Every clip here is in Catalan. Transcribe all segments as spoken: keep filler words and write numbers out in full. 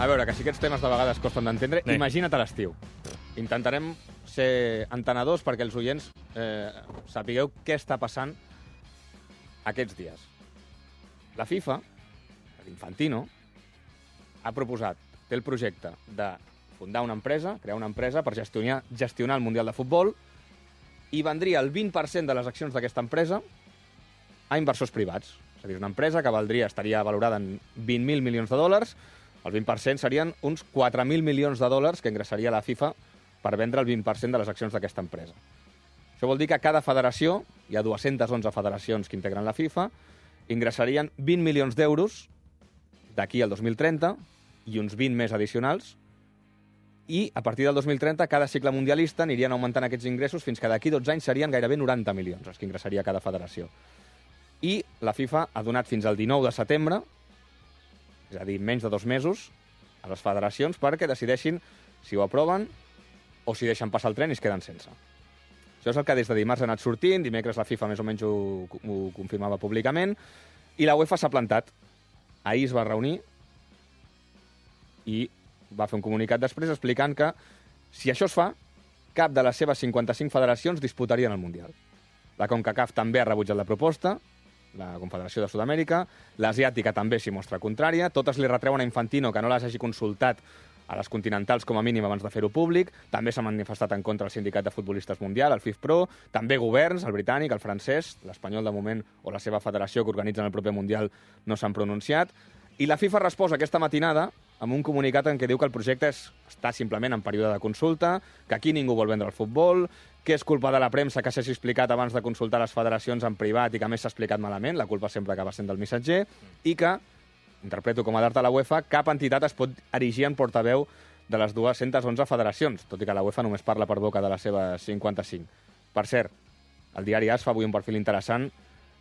A veure, que si aquests temes de vegades costen d'entendre, Sí. imagina't a l'estiu. Intentarem ser entenedors perquè els oients eh, sapigueu què està passant aquests dies. La FIFA, l'Infantino, ha proposat, té el projecte de fundar una empresa, crear una empresa per gestionar, gestionar el Mundial de Futbol, i vendria el vint per cent de les accions d'aquesta empresa a inversors privats. És a dir, una empresa que valdria, estaria valorada en vint mil milions de dòlars, el vint per cent serien uns quatre mil milions de dòlars que ingressaria la FIFA per vendre el vint per cent de les accions d'aquesta empresa. Això vol dir que cada federació, hi ha dues-centes onze federacions que integren la FIFA, ingressarien vint milions d'euros d'aquí al dos mil trenta i uns vint més addicionals, i a partir del dos mil trenta cada cicle mundialista anirien augmentant aquests ingressos fins que d'aquí dotze anys serien gairebé noranta milions els que ingressaria cada federació. I la FIFA ha donat fins al dinou de setembre, és a dir, menys de dos mesos, a les federacions perquè decideixin si ho aproven o si deixen passar el tren i es queden sense. Això és el que des de dimarts ha anat sortint, dimecres la FIFA més o menys ho, ho confirmava públicament, i la UEFA s'ha plantat. Ahir es va reunir i va fer un comunicat després explicant que si això es fa, cap de les seves cinquanta-cinc federacions disputarien el Mundial. La CONCACAF també ha rebutjat la proposta, la Confederació de Sud-amèrica, l'asiàtica també s'hi mostra contrària, totes li retreuen a Infantino que no les hagi consultat a les continentals com a mínim abans de fer-ho públic, també s'ha manifestat en contra el sindicat de futbolistes mundial, el FIFPro, també governs, el britànic, el francès, l'espanyol de moment o la seva federació que organitzen el proper Mundial no s'han pronunciat, i la FIFA resposa aquesta matinada amb un comunicat en què diu que el projecte és, està simplement en període de consulta, que aquí ningú vol vendre el futbol, que és culpa de la premsa que s'hagi explicat abans de consultar les federacions en privat i que a més s'ha explicat malament, la culpa sempre acaba sent del missatger, i que, interpreto com a d'art a la UEFA, cap entitat es pot erigir en portaveu de les dues-centes onze federacions, tot i que la UEFA només parla per boca de les seves cinquanta-cinc. Per cert, el diari A S fa avui un perfil interessant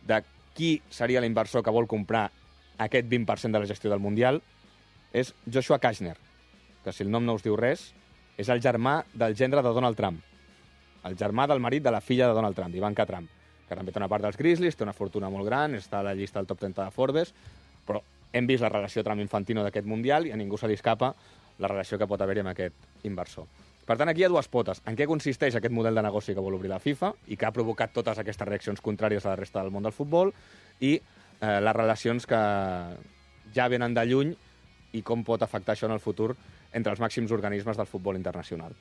de qui seria l'inversor que vol comprar aquest vint per cent de la gestió del Mundial. És Joshua Kashner, que si el nom no us diu res, és el germà del gendre de Donald Trump, el germà del marit de la filla de Donald Trump, Ivanka Trump, que també té una part dels Grizzlies, té una fortuna molt gran, està a la llista del top trenta de Forbes, però hem vist la relació Trump-Infantino d'aquest Mundial i a ningú se li escapa la relació que pot haver-hi amb aquest inversor. Per tant, aquí hi ha dues potes. En què consisteix aquest model de negoci que vol obrir la FIFA i que ha provocat totes aquestes reaccions contràries a la resta del món del futbol i eh, les relacions que ja venen de lluny i com pot afectar això en el futur entre els màxims organismes del futbol internacional.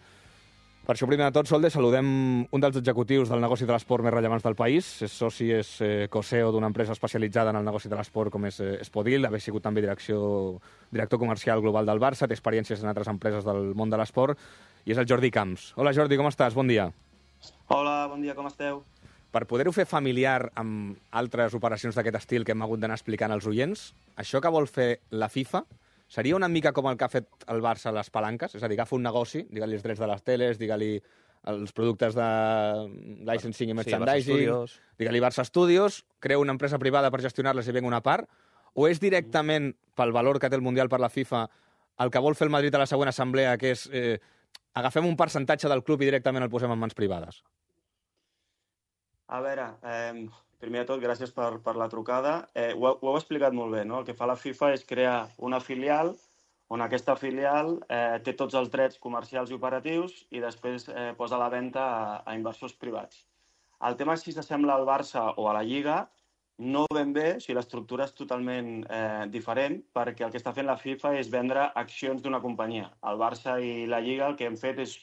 Per això, primer de tot, Solde, saludem un dels executius del negoci de l'esport més rellevants del país. És soci, és eh, co-C E O d'una empresa especialitzada en el negoci de l'esport com és eh, Espodil, haver sigut també direcció, director comercial global del Barça, té experiències en altres empreses del món de l'esport, i és el Jordi Camps. Hola, Jordi, com estàs? Bon dia. Hola, bon dia, com esteu? Per poder-ho fer familiar amb altres operacions d'aquest estil que hem hagut d'anar explicant als oients, això que vol fer la FIFA seria una mica com el que ha fet el Barça a les palanques? És a dir, agafa un negoci, digue-li els drets de les teles, digue-li els productes de licensing i merchandising, sí, digue-li Barça Studios, crea una empresa privada per gestionar-les i venga una part, o és directament, pel valor que té el Mundial per la FIFA, el que vol fer el Madrid a la següent assemblea, que és eh, agafem un percentatge del club i directament el posem en mans privades? A veure, eh, primer de tot, gràcies per, per la trucada. Eh, ho, ho heu explicat molt bé, no? El que fa la FIFA és crear una filial on aquesta filial eh, té tots els drets comercials i operatius i després eh, posa a la venda a, a inversors privats. El tema és si s'assembla al Barça o a la Lliga, no ben bé, si l'estructura és totalment eh, diferent, perquè el que està fent la FIFA és vendre accions d'una companyia. El Barça i la Lliga el que han fet és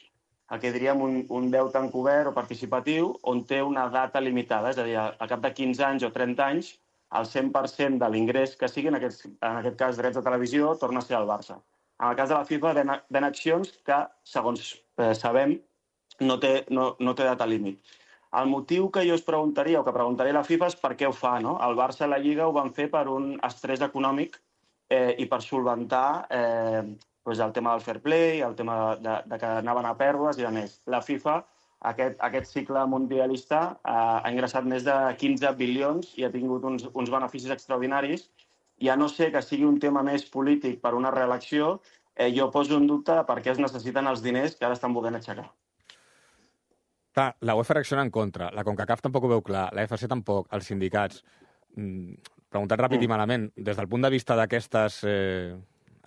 el que diríem un, un deute encobert o participatiu on té una data limitada, és a dir, al cap de quinze anys o trenta anys, el cent per cent de l'ingrés que sigui, en aquest, en aquest cas drets de televisió, torna a ser al Barça. En el cas de la FIFA, ven, ven accions que, segons eh, sabem, no té, no, no té data límit. El motiu que jo us preguntaria, o que preguntaria a la FIFA, és per què ho fa, no? El Barça i la Lliga ho van fer per un estrès econòmic eh, i per solventar eh, doncs el tema del fair play, el tema de, de que anaven a pèrdues i de més. La FIFA, aquest, aquest cicle mundialista, eh, ha ingressat més de quinze bilions i ha tingut uns, uns beneficis extraordinaris. I a no ser que sigui un tema més polític per una reelecció, eh, jo poso en dubte per què es necessiten els diners que ara estan volent aixecar. Clar, la UEFA reacciona en contra, la CONCACAF tampoc ho veu clar, la F C tampoc, els sindicats. Mm, preguntat ràpid mm. i malament, des del punt de vista d'aquestes eh,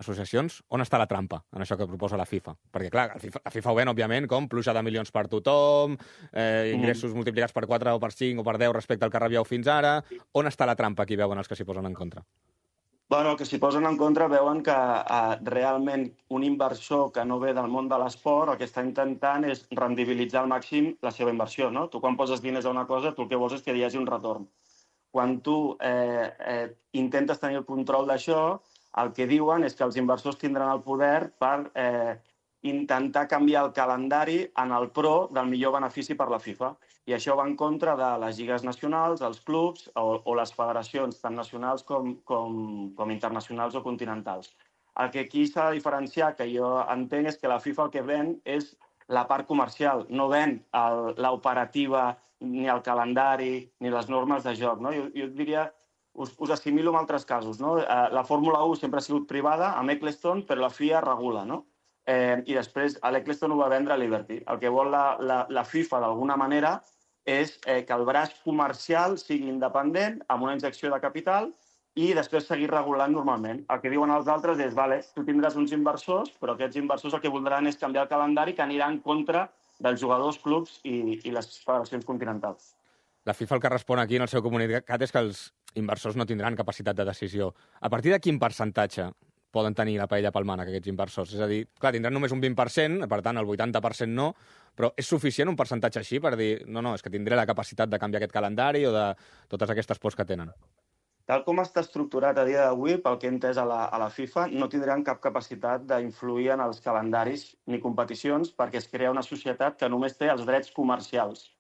associacions, on està la trampa en això que proposa la FIFA? Perquè, clar, la FIFA, la FIFA ho ven, òbviament, com pluja de milions per tothom, eh, ingressos mm. multiplicats per quatre o per cinc o per deu respecte al que rebíeu fins ara. On està la trampa que hi veuen els que s'hi posen en contra? Bueno, que s'hi posen en contra veuen que eh, realment un inversor que no ve del món de l'esport el que està intentant és rendibilitzar al màxim la seva inversió, no? Tu quan poses diners a una cosa, tu el que vols és que hi hagi un retorn. Quan tu eh, eh, intentes tenir el control d'això, el que diuen és que els inversors tindran el poder per eh, intentar canviar el calendari en el pro del millor benefici per la FIFA. I això va en contra de les lligues nacionals, els clubs o, o les federacions, tant nacionals com, com, com internacionals o continentals. El que aquí s'ha de diferenciar, que jo entenc, és que la FIFA el que ven és la part comercial, no ven l'operativa, ni el calendari, ni les normes de joc. No? Jo, jo diria, us, us assimilo amb altres casos. No? La Fórmula u sempre ha sigut privada, amb Eccleston, però la F I A regula. No? Eh, I després l'Eccleston ho va vendre a Liberty. El que vol la, la, la FIFA, d'alguna manera, és eh, que el braç comercial sigui independent, amb una injecció de capital, i després seguir regulant normalment. El que diuen els altres és, vale, tu tindràs uns inversors, però aquests inversors el que voldran és canviar el calendari que anirà en contra dels jugadors, clubs i, i les federacions continentals. La FIFA el que respon aquí en el seu comunicat és que els inversors no tindran capacitat de decisió. A partir de quin percentatge poden tenir la paella pel mànec, aquests inversors? És a dir, clar, tindran només un vint per cent, per tant, el vuitanta per cent no, però és suficient un percentatge així per dir no, no, és que tindré la capacitat de canviar aquest calendari o de totes aquestes pors que tenen? Tal com està estructurat a dia d'avui, pel que he entès a la, a la FIFA, no tindran cap capacitat d'influir en els calendaris ni competicions perquè es crea una societat que només té els drets comercials.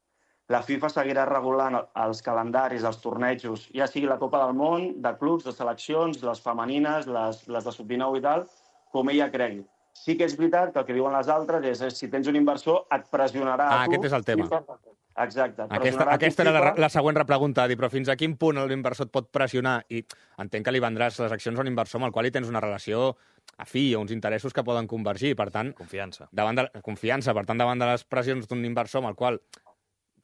La FIFA seguirà regulant els calendaris, els tornejos, ja sigui la Copa del Món, de clubs, de seleccions, les femenines, les, les de sub dinou i tal, com ella cregui. Sí que és veritat que el que diuen les altres és, és si tens un inversor et pressionarà ah, a tu. aquest és el tema. FIFA. Exacte. Aquesta, aquesta era la, la següent repregunta, dir, però fins a quin punt l'inversor et pot pressionar? I entenc que li vendràs les accions a un inversor amb el qual hi tens una relació afí o uns interessos que poden convergir. Per tant, confiança. Davant de, confiança. Per tant, davant de les pressions d'un inversor amb el qual,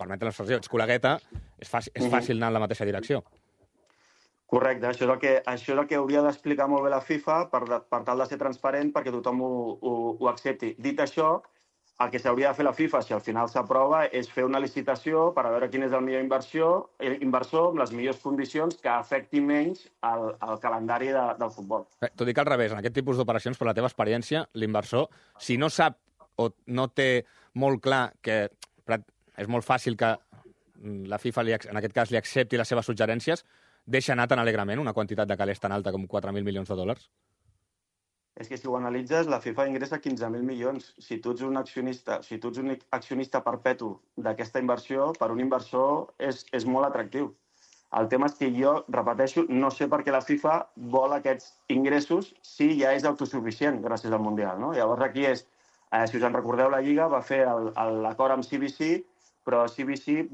permetre l'expressió, ets col·legueta, és fàcil, és fàcil anar en la mateixa direcció. Correcte, això és el que, això és el que hauria d'explicar molt bé la FIFA per, per tal de ser transparent perquè tothom ho, ho, ho accepti. Dit això, el que s'hauria de fer la FIFA, si al final s'aprova, és fer una licitació per a veure quin és el millor inversió, inversor amb les millors condicions que afecti menys el, el calendari de, del futbol. Bé, tot i que al revés, en aquest tipus d'operacions, per la teva experiència, l'inversor, si no sap o no té molt clar que és molt fàcil que la FIFA, li, en aquest cas, li accepti les seves suggerències, deixa anar tan alegrement una quantitat de calés tan alta com quatre mil milions de dòlars? És que si ho analitzes, la FIFA ingressa quinze mil milions. Si tu ets un accionista, si tu ets un accionista perpetu d'aquesta inversió, per un inversor és, és molt atractiu. El tema és que jo, repeteixo, no sé per què la FIFA vol aquests ingressos si ja és autosuficient gràcies al Mundial. No? Llavors aquí és, eh, si us en recordeu, la Lliga va fer l'acord amb C B C, però C B C,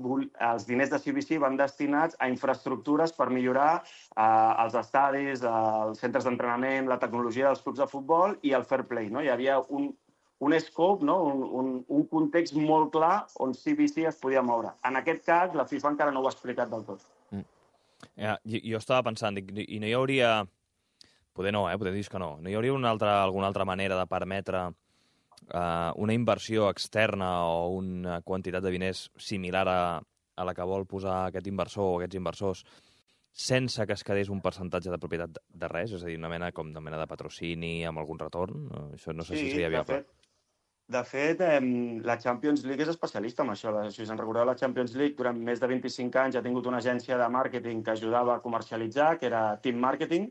els diners de C B C van destinats a infraestructures per millorar eh, els estadis, els centres d'entrenament, la tecnologia dels clubs de futbol i el fair play. No? Hi havia un, un scope, no? un, un, un context molt clar on C B C es podia moure. En aquest cas, la FIFA encara no ho ha explicat del tot. Mm. Ja, jo, jo estava pensant, dic, i no hi hauria... Poder no, eh? Poder dir que no. No hi hauria una altra, alguna altra manera de permetre Uh, una inversió externa o una quantitat de diners similar a, a la que vol posar aquest inversor o aquests inversors sense que es quedés un percentatge de propietat de, de res? És a dir, una mena, com una mena de patrocini amb algun retorn? Uh, això no sé sí, si seria viable. De fet, de fet eh, la Champions League és especialista en això. Si us en recordeu, la Champions League durant més de vint-i-cinc anys ha tingut una agència de màrqueting que ajudava a comercialitzar, que era Team Marketing,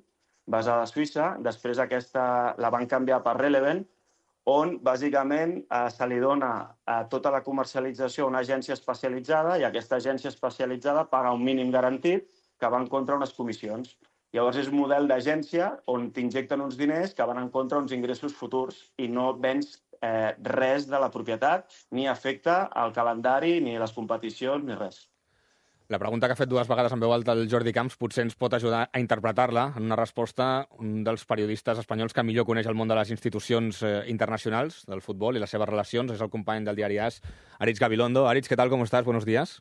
basada a Suïssa. Després aquesta la van canviar per Relevant, on bàsicament eh, se li dona eh, tota la comercialització a una agència especialitzada i aquesta agència especialitzada paga un mínim garantit que va en contra unes comissions. Llavors és un model d'agència on t'injecten uns diners que van en contra uns ingressos futurs i no vens eh, res de la propietat, ni afecta al calendari, ni les competicions, ni res. La pregunta que ha fet dues vegades en veu alta el Jordi Camps potser ens pot ajudar a interpretar-la en una resposta un dels periodistes espanyols que millor coneix el món de les institucions eh, internacionals del futbol i les seves relacions. És el company del diari AS, Aritz Gabilondo. Aritz, ¿qué tal? ¿Cómo estás? Buenos días.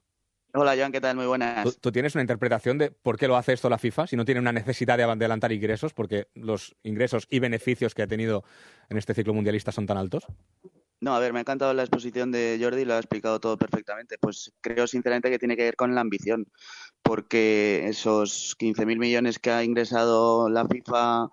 Hola, Joan, ¿qué tal? Muy buenas. ¿Tú, tú tienes una interpretación de por qué lo hace esto la FIFA si no tiene una necesidad de adelantar ingresos? Porque los ingresos y beneficios que ha tenido en este ciclo mundialista son tan altos. No, a ver, me ha encantado la exposición de Jordi, lo ha explicado todo perfectamente. Pues creo sinceramente que tiene que ver con la ambición, porque esos quince mil millones que ha ingresado la FIFA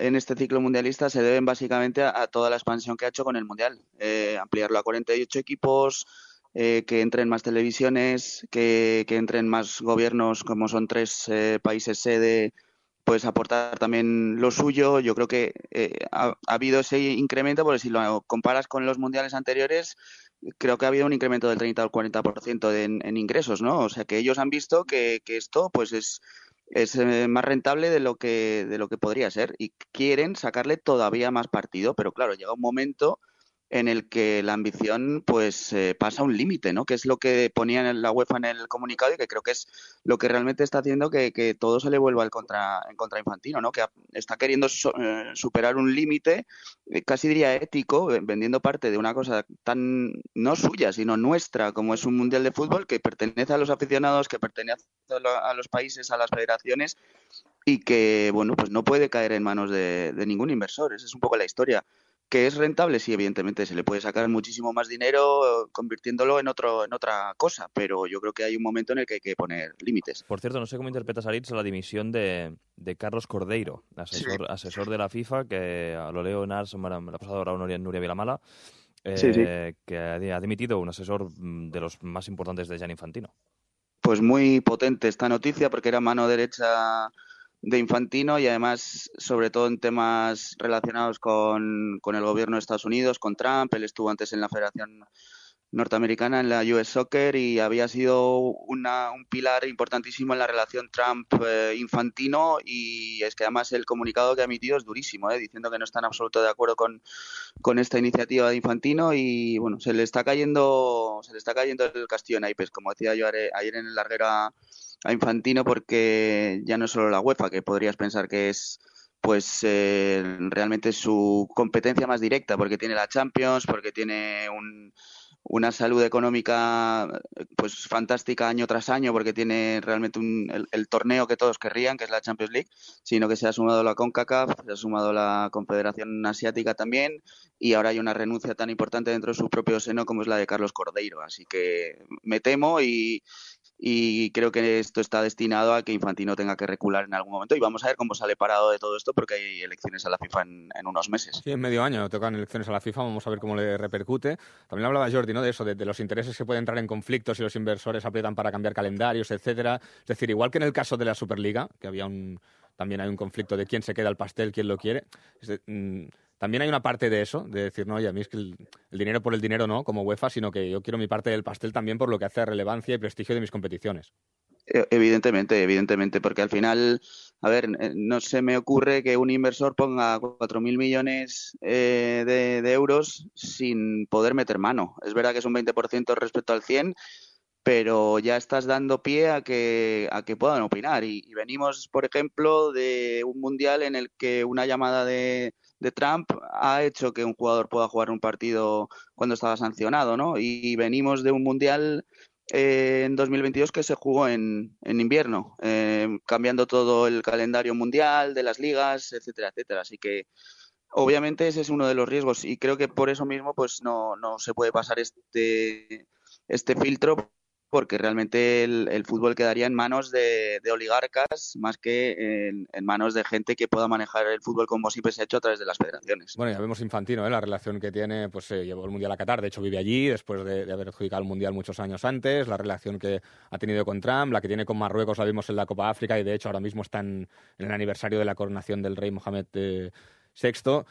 en este ciclo mundialista se deben básicamente a, a toda la expansión que ha hecho con el Mundial. Eh, ampliarlo a cuarenta y ocho equipos, eh, que entren más televisiones, que, que entren más gobiernos, como son tres eh, países sede, pues aportar también lo suyo. Yo creo que eh, ha, ha habido ese incremento, porque si lo comparas con los mundiales anteriores, creo que ha habido un incremento del treinta al cuarenta por ciento de, en, en ingresos, ¿no? O sea que ellos han visto que, que esto pues es, es eh, más rentable de lo que de lo que podría ser y quieren sacarle todavía más partido, pero claro, llega un momento en el que la ambición pues eh, pasa un límite, ¿no? Que es lo que ponía en la UEFA en el comunicado y que creo que es lo que realmente está haciendo que, que todo se le vuelva al contra, en contra Infantino, ¿no? Que está queriendo so, eh, superar un límite, eh, casi diría ético, vendiendo parte de una cosa tan no suya, sino nuestra, como es un mundial de fútbol que pertenece a los aficionados, que pertenece a los países, a las federaciones y que, bueno, pues no puede caer en manos de, de ningún inversor. Esa es un poco la historia. ¿Que es rentable? Sí, evidentemente, se le puede sacar muchísimo más dinero convirtiéndolo en otro en otra cosa, pero yo creo que hay un momento en el que hay que poner límites. Por cierto, no sé cómo interpretas, Aritz, la dimisión de, de Carlos Cordeiro, asesor, sí. asesor de la FIFA, que lo leo en Ars, me la ha pasado ahora Nuria, Nuria Vilamala, eh, sí, sí. que ha dimitido un asesor de los más importantes de Gianni Infantino. Pues muy potente esta noticia, porque era mano derecha de Infantino y además, sobre todo en temas relacionados con, con el gobierno de Estados Unidos, con Trump. Él estuvo antes en la Federación Norteamericana, en la U S Soccer, y había sido una, un pilar importantísimo en la relación Trump-Infantino, y es que además el comunicado que ha emitido es durísimo, ¿eh? Diciendo que no está en absoluto de acuerdo con, con esta iniciativa de Infantino y bueno, se le está cayendo se le está cayendo el castillo en naipes, como decía yo ayer en el larguero a, a Infantino, porque ya no es solo la UEFA, que podrías pensar que es pues eh, realmente su competencia más directa, porque tiene la Champions, porque tiene un una salud económica pues fantástica año tras año, porque tiene realmente un, el, el torneo que todos querrían, que es la Champions League, sino que se ha sumado la CONCACAF, se ha sumado la Confederación Asiática también, y ahora hay una renuncia tan importante dentro de su propio seno como es la de Carlos Cordeiro. Así que me temo y, y creo que esto está destinado a que Infantino tenga que recular en algún momento, y vamos a ver cómo sale parado de todo esto, porque hay elecciones a la FIFA en, en unos meses. Sí, en medio año tocan elecciones a la FIFA, vamos a ver cómo le repercute. También hablaba Jordi, ¿no?, de eso, de, de los intereses que pueden entrar en conflictos si los inversores aprietan para cambiar calendarios, etcétera. Es decir, igual que en el caso de la Superliga, que había un también hay un conflicto de quién se queda el pastel, quién lo quiere. Es de, mmm, también hay una parte de eso, de decir, no, oye, a mí es que el, el dinero por el dinero no, como UEFA, sino que yo quiero mi parte del pastel también por lo que hace a relevancia y prestigio de mis competiciones. Evidentemente, evidentemente, porque al final, a ver, no se me ocurre que un inversor ponga cuatro mil millones eh, de, de euros sin poder meter mano. Es verdad que es un veinte por ciento respecto al cien, pero ya estás dando pie a que, a que puedan opinar. Y, y venimos, por ejemplo, de un mundial en el que una llamada de, de Trump ha hecho que un jugador pueda jugar un partido cuando estaba sancionado, ¿no? Y venimos de un mundial Eh, en dos mil veintidós que se jugó en, en invierno, eh, cambiando todo el calendario mundial de las ligas, etcétera, etcétera. Así que obviamente ese es uno de los riesgos y creo que por eso mismo pues no, no se puede pasar este, este filtro, porque realmente el, el fútbol quedaría en manos de, de oligarcas más que en, en manos de gente que pueda manejar el fútbol como siempre se ha hecho a través de las federaciones. Bueno, ya vemos Infantino, ¿eh? La relación que tiene, pues se eh, llevó el Mundial a Qatar, de hecho vive allí después de, de haber adjudicado el Mundial muchos años antes, la relación que ha tenido con Trump, la que tiene con Marruecos la vimos en la Copa África y de hecho ahora mismo está en, en el aniversario de la coronación del rey Mohamed eh, sexto.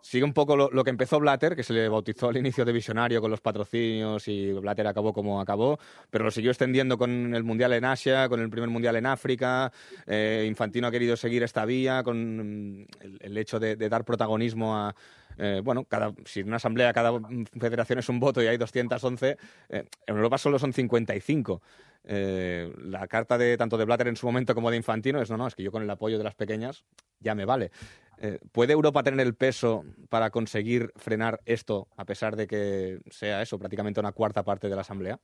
Sigue un poco lo, lo que empezó Blatter, que se le bautizó al inicio de visionario con los patrocinios y Blatter acabó como acabó, pero lo siguió extendiendo con el Mundial en Asia, con el primer Mundial en África. Eh, Infantino ha querido seguir esta vía con el, el hecho de, de dar protagonismo a... Eh, bueno, cada, si en una asamblea cada federación es un voto y hay doscientos once, eh, en Europa solo son cincuenta y cinco. Eh, la carta de tanto de Blatter en su momento como de Infantino es no, no, es que yo con el apoyo de las pequeñas ya me vale. Eh, ¿Puede Europa tener el peso para conseguir frenar esto a pesar de que sea eso, prácticamente una cuarta parte de la asamblea?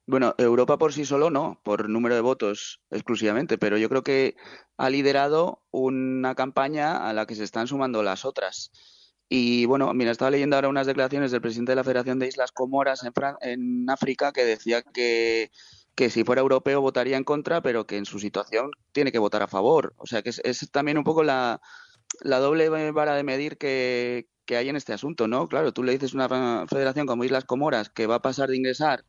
Bueno, Europa por sí solo no, por número de votos exclusivamente, pero yo creo que ha liderado una campaña a la que se están sumando las otras. Y bueno, mira, estaba leyendo ahora unas declaraciones del presidente de la Federación de Islas Comoras en, Fran- en África que decía que, que si fuera europeo votaría en contra, pero que en su situación tiene que votar a favor. O sea que es, es también un poco la, la doble vara de medir que, que hay en este asunto, ¿no? Claro, tú le dices a una federación como Islas Comoras que va a pasar de ingresar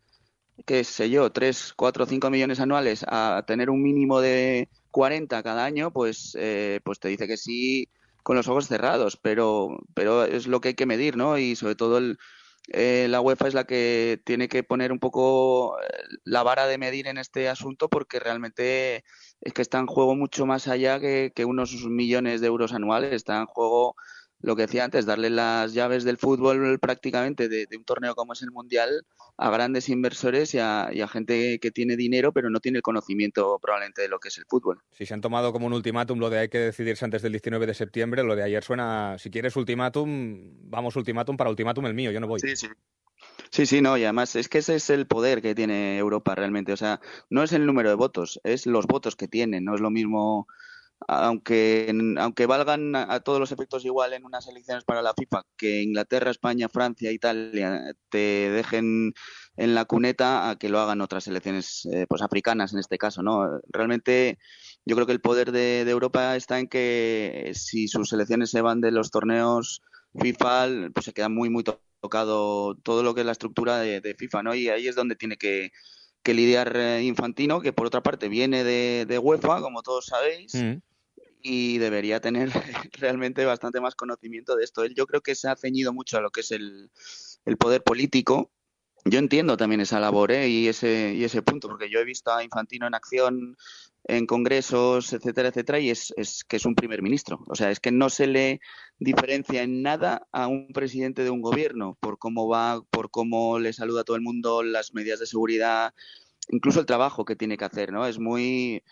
qué sé yo, tres, cuatro, cinco millones anuales a tener un mínimo de cuarenta cada año, pues, eh, pues te dice que sí con los ojos cerrados, pero, pero es lo que hay que medir, ¿no? Y sobre todo el, eh, la UEFA es la que tiene que poner un poco eh, la vara de medir en este asunto porque realmente es que está en juego mucho más allá que, que unos millones de euros anuales, está en juego lo que decía antes, darle las llaves del fútbol prácticamente de, de un torneo como es el Mundial a grandes inversores y a, y a gente que tiene dinero pero no tiene el conocimiento probablemente de lo que es el fútbol. Si se han tomado como un ultimátum lo de hay que decidirse antes del diecinueve de septiembre, lo de ayer suena, si quieres ultimátum, vamos ultimátum para ultimátum el mío, yo no voy. Sí, sí. Sí, sí, no, y además es que ese es el poder que tiene Europa realmente. O sea, no es el número de votos, es los votos que tienen. No es lo mismo, aunque, aunque valgan a, a todos los efectos igual en unas elecciones para la FIFA, que Inglaterra, España, Francia, Italia te dejen en la cuneta a que lo hagan otras elecciones eh, pues africanas en este caso, ¿no? Realmente yo creo que el poder de, de Europa está en que si sus selecciones se van de los torneos FIFA, pues se queda muy, muy tocado todo lo que es la estructura de, de FIFA, ¿no? Y ahí es donde tiene que, que lidiar eh, Infantino, que por otra parte viene de, de UEFA, como todos sabéis, Mm. y debería tener realmente bastante más conocimiento de esto. Él yo creo que se ha ceñido mucho a lo que es el, el poder político. Yo entiendo también esa labor, ¿eh? y ese y ese punto, porque yo he visto a Infantino en acción en congresos, etcétera, etcétera, y es, es que es un primer ministro. O sea, es que no se le diferencia en nada a un presidente de un gobierno por cómo va, por cómo le saluda a todo el mundo, las medidas de seguridad, incluso el trabajo que tiene que hacer, ¿no? Es muy...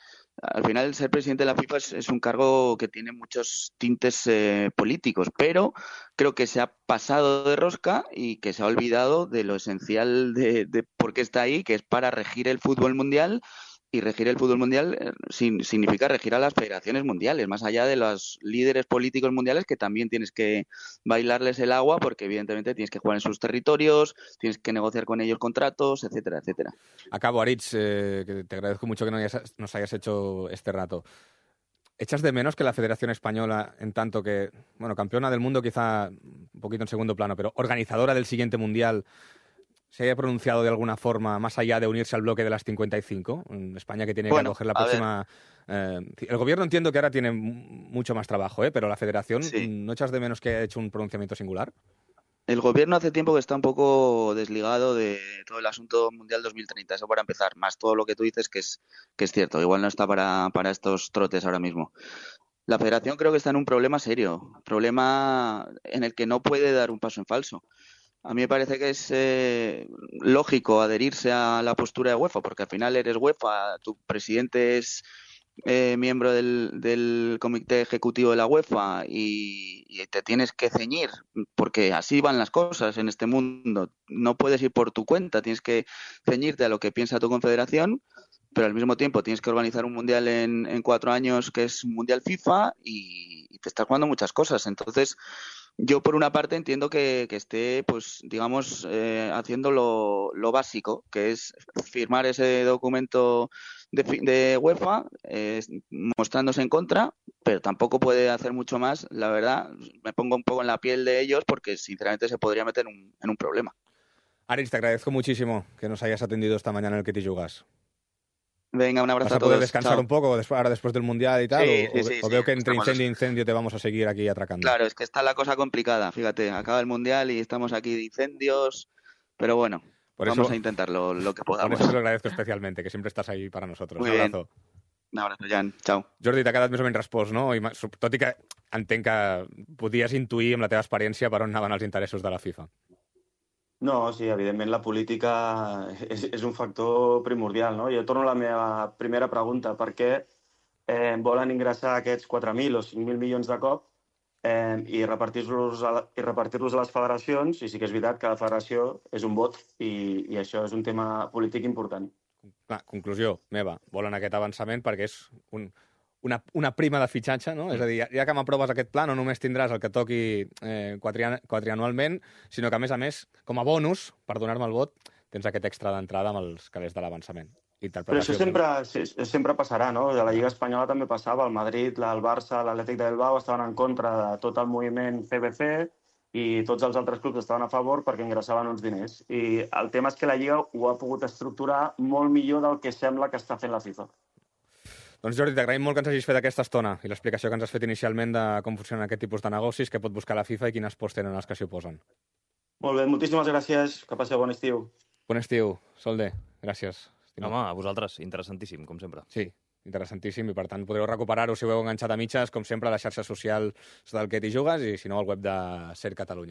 Al final, ser presidente de la FIFA es, es un cargo que tiene muchos tintes eh, políticos, pero creo que se ha pasado de rosca y que se ha olvidado de lo esencial de, de por qué está ahí, que es para regir el fútbol mundial. Y regir el fútbol mundial eh, sin, significa regir a las federaciones mundiales, más allá de los líderes políticos mundiales que también tienes que bailarles el agua porque evidentemente tienes que jugar en sus territorios, tienes que negociar con ellos contratos, etcétera, etcétera. Acabo, Aritz, eh, que te agradezco mucho que no hayas- nos hayas hecho este rato. ¿Echas de menos que la Federación Española, en tanto que, bueno, campeona del mundo quizá un poquito en segundo plano, pero organizadora del siguiente Mundial, se haya pronunciado de alguna forma más allá de unirse al bloque de las cincuenta y cinco? En España que tiene que Bueno, acoger la a ver, próxima... eh, el gobierno entiendo que ahora tiene m- mucho más trabajo, ¿eh? Pero la Federación, sí. ¿no echas de menos que haya hecho un pronunciamiento singular? El gobierno hace tiempo que está un poco desligado de todo el asunto Mundial dos mil treinta, eso para empezar, más todo lo que tú dices que es, que es cierto, igual no está para, para estos trotes ahora mismo. La federación creo que está en un problema serio, problema en el que no puede dar un paso en falso. A mí me parece que es eh, lógico adherirse a la postura de UEFA, porque al final eres UEFA, tu presidente es eh, miembro del, del comité ejecutivo de la UEFA y, y te tienes que ceñir, porque así van las cosas en este mundo. No puedes ir por tu cuenta, tienes que ceñirte a lo que piensa tu confederación, pero al mismo tiempo tienes que organizar un mundial en, en cuatro años que es un mundial FIFA y, y te estás jugando muchas cosas. Entonces, yo por una parte entiendo que, que esté, pues, digamos, eh, haciendo lo, lo básico, que es firmar ese documento de, fi- de UEFA, eh, mostrándose en contra, pero tampoco puede hacer mucho más. La verdad, me pongo un poco en la piel de ellos porque sinceramente se podría meter en un, en un problema. Aritz, te agradezco muchísimo que nos hayas atendido esta mañana en el Que Te Jugas. Venga, un ¿Vas abrazo a a poder todos. descansar Chao. un poco después, ahora después del Mundial y tal? Sí, O, sí, o- sí, o sí. veo que entre Estamos... incendio e incendio te vamos a seguir aquí atracando? Claro, es que está la cosa complicada. Fíjate, acaba el mundial y estamos aquí de incendios, pero bueno, Por vamos eso, a intentarlo lo que por podamos. eso te lo agradezco especialmente, que siempre estás ahí para nosotros. Un Muy bien. abrazo. Un abrazo, Jan. Chao. Jordi, t'ha quedat més o menys respost, no? I, ma- so- tot i que entenc que podies intuir amb la teva experiència per on anaven els interessos de la FIFA. No, sí, evidentment la política és, és un factor primordial, no? Jo torno a la meva primera pregunta. Per què eh, volen ingressar aquests quatre mil o cinc mil milions de cop eh, i repartir-los a, i repartir-los a les federacions, i sí que és veritat que cada federació és un vot i, i això és un tema polític important. Clar, conclusió meva, volen aquest avançament perquè és un, una, una prima de fitxatge, no? Mm. És a dir, ja que m'aproves aquest pla, no només tindràs el que toqui eh, quadrianualment, sinó que, a més a més, com a bonus, per donar-me el vot, tens aquest extra d'entrada amb els calés de l'avançament. Però això sempre, sempre passarà, no? De la Lliga Espanyola també passava. El Madrid, el Barça, l'Atlètic de Bilbao estaven en contra de tot el moviment C B C i tots els altres clubs estaven a favor perquè ingressaven uns diners. I el tema és que la Lliga ho ha pogut estructurar molt millor del que sembla que està fent la FIFA. Doncs Jordi, t'agraïm molt que ens hagis fet aquesta estona i l'explicació que ens has fet inicialment de com funcionen aquest tipus de negocis, que pot buscar la FIFA i quines pors tenen els que s'hi oposen. Molt bé, moltíssimes gràcies. Que passeu bon estiu. Bon estiu, Solde. Gràcies. Home, a vosaltres, interessantíssim, com sempre. Sí, interessantíssim, i per tant podreu recuperar-ho si ho heu enganxat a mitges, com sempre, a les xarxes socials del Que t'hi jugues i, si no, al web de Ser Catalunya.